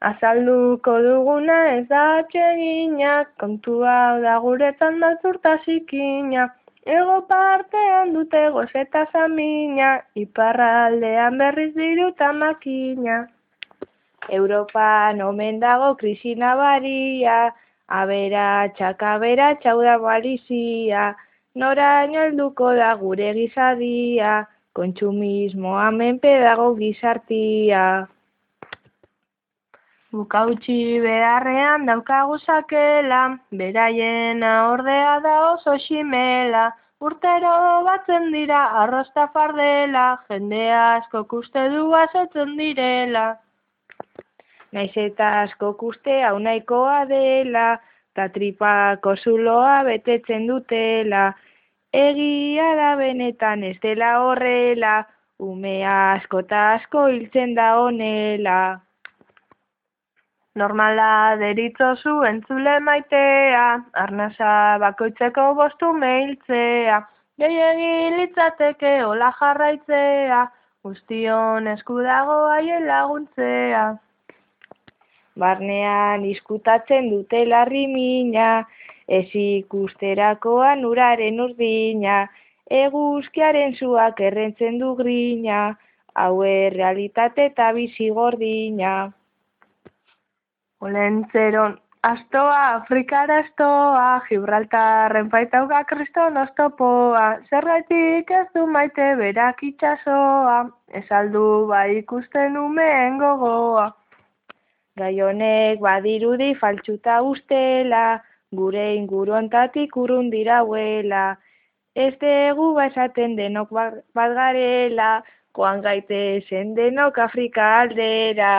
Azalduko duguna ez da atsegina, kontua da guretzan maltzurta zikina. Ego partean dute goze eta zamina, iparraldean berriz diru eta makina. Europan omen dago krisi nabaria, aberatsak hau da malizia, noraino helduko da gure gizadia, kontsumismoa menpe dago gizartia. Bukautxi beharrean daukagu sakela, beraiena ordea da oso ximela, urtero batzen dira arrosta fardela, jende askok uste du asetzen direla. Naiz eta askok uste hau nahikoa dela, ta tripako zuloa betetzen dutela, egia da benetan ez dela horrela, ume asko eta asko hiltzen da honela. Normala deritzozu entzule maitea, arnasa bakoitzeko 5 ume hiltzea, gehiegi litzateke hola jarraitzea, guztion esku dago haien laguntzea. Barnean izkutatzen dute larrimina, ez ikusterakoan uraren urdina, eguzkiaren zuak errentzen du grina, hau realitate eta bizi gordina. Olentzeron astoa, Afrikara astoa, Gibraltarren baitauga kriston oztopoa, zergaitik ez du maite berak itxasoa, ez aldu bai ikusten umeen gogoa. Gai honek badirudi faltsuta ustela, gure inguruontatik urrun dirauela, ez dugu esaten denok bat garela, joan gaitezen denok Afrika aldera.